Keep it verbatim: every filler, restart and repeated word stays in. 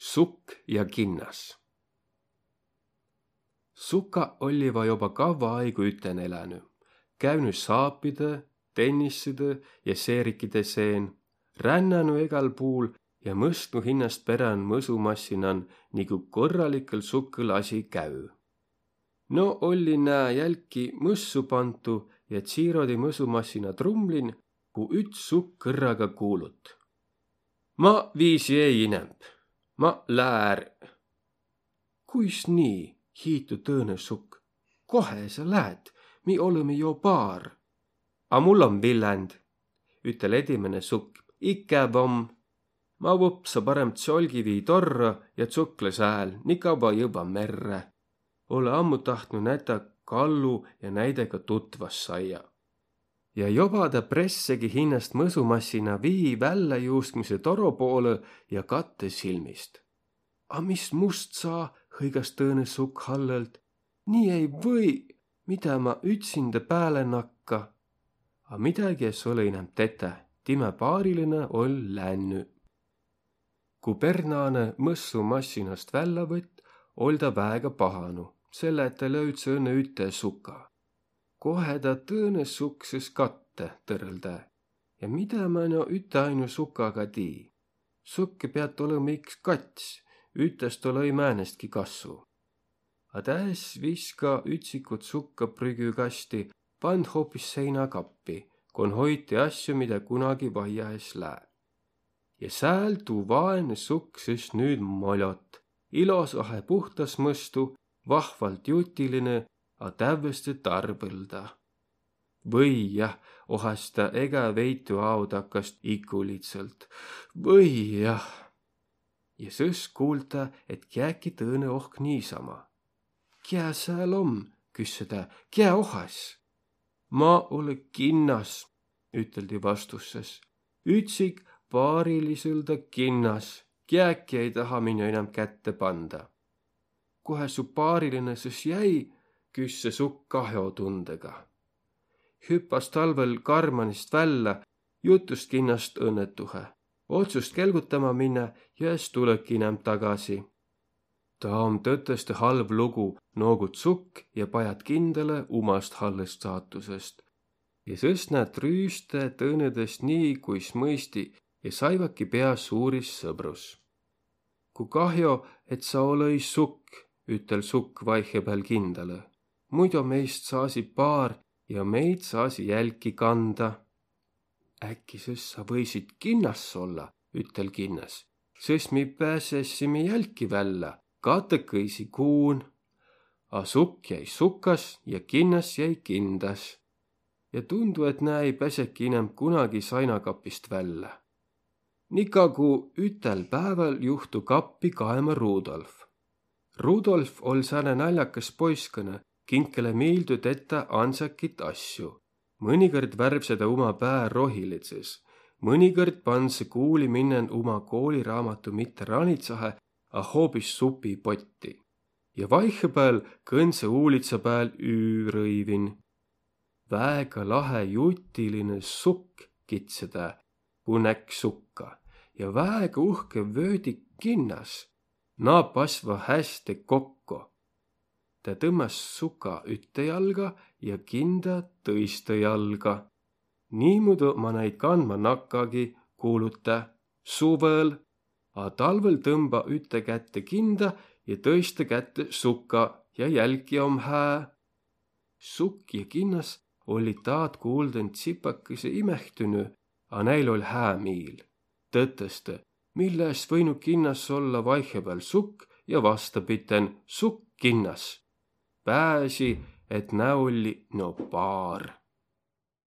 Sukk ja kinnas. Suka olliva joba kavva aigu üten elänü, käünü saapidõ, tennissidõ ja seerikide seen, rännänü egal puul ja mõstnu hinnast perän mõsumassinan, nigu korralikõl sukkõl asi käü. No olli nää jälki mõssu pantu ja tsiirodi mõsumassina trumlin, ku üts sukk kõrraga kuulut: Ma viisi ei inämb. Ma lää är. Kuis nii? Hiitu tõõnõ sukk. Kohe sa läät? Mi olõmi jo paar. A mul om villänd, ütel edimäne sukk. Ikäv om. Ma vupsa parem tsolgivii torrõ ja tsuklõ sääl, nii kavva jõvva merre. Olõ ammu tahtnu nätä kallu ja näidega tutvas saia. Ja joba ta pressegi hinnast mõsumassina vii välläjuuskmise toro poolõ ja kattõ silmist. A mis must saa, hõigas tõõnõ sukk hallõlt. Nii ei või, midä ma ütsindä pääle nakka. A midägi es olõ inämb tetä, timä paarilinõ oll' lännü. Ku pernaanõ mõssumassinast vällä võtt, oll' ta väega pahanu, selle et ta löüdse õnnõ üte suka. Kohe ta tõõnõ sukk sõs kattõ, tõrõldä. Ja midä ma no üteainu sukaga tii? Sukke piat olõma iks kats, ütest olõ-i määnestki kassu. A tä es viska ütsikut sukka prügükasti, pand hoopis seinakappi, kon hoiti asju, midä kunagi vaia es lää. Ja sääl tuu vaenõ sukk sõs nüüd moljot, ilosahe puhtas mõstu, vahvalt jutilinõ, a tävveste tarbõlda. Või jah, ohas ta egä veitü aodakkast ikulidsõlt. Või jah. Ja sõs kuulda, et kiäki tõõnõ ohk niisama. Kiä sääl om, küsse tä, kiä ohas? Ma olõ kinnas, üteldi vastussõs. Ütsik paarilisõlda kinnas, kiäki ei taha minno inämb kätte panda. Kohe su paarilinõ sõs jäi, küsse sukk kahjotundõga. Hüppas talvõl karmanist vällä, jutust kinnast õnnetuhe. Otsust kelgutama minnä ja es tulõki inämb tagasi. Taa om tõtõstõ halv lugu, noogut sukk ja pajat kindalõ umast hallõst saatusõst. Ja sõs nä trüüste tõõnõdõst nii, kuis mõisti, ja saivaki pea suuris sõbrus. Ku kahjo, et sa olõ-i sukk, ütel sukk vaihepääl kindalõ. Muido meist saasi paar ja meid saasi jälki kanda. Äkki sõs sa võisit kinnas olla, ütel kinnas. Sõs mi pääsessimi jälki vällä, katõkõisi kuun. A sukk jäi sukas ja kinnas jäi kindas. Ja tundu, et nä ei pääseki inämb kunagi sainakapist vällä. Nikagu ütel pääväl juhtu kappi kaema Rudolf. Rudolf oll' sääne naljakas poiskõnõ, kinkele miildü tetä ansakit asju. Mõnikõrd värvse tä uma pää rohilidsõs. Mõnikõrd pandsõ kuuli minnen uma kooliraamatu mitte ranitsahe, a hoobis supipotti. Ja vaihepääl kõndsõ uulitsa pääl üürõivin. Väega lahe jutilinõ sukk, kidse tä, ku näkk sukka, ja väega uhke vöödik kinnas. Naa pasva häste kokko. Tä tõmmas suka ütte jalga ja kinda tõiste jalga. Niimuudu ma näid kandma nakkagi, kuulut tä. Suvõl, a talvõl tõmba ütte kätte kinda ja tõiste kätte suka ja jälki om hää. Sukk ja kinnas olli taad kuuldõn tsipakõsõ imehtünü, a näil oll' hää miil. Tõtõstõ, mille es võinu kinnas olla vaihepääl sukk ja vastapiten sukk kinnas. Pääsi, et nä olli no paar.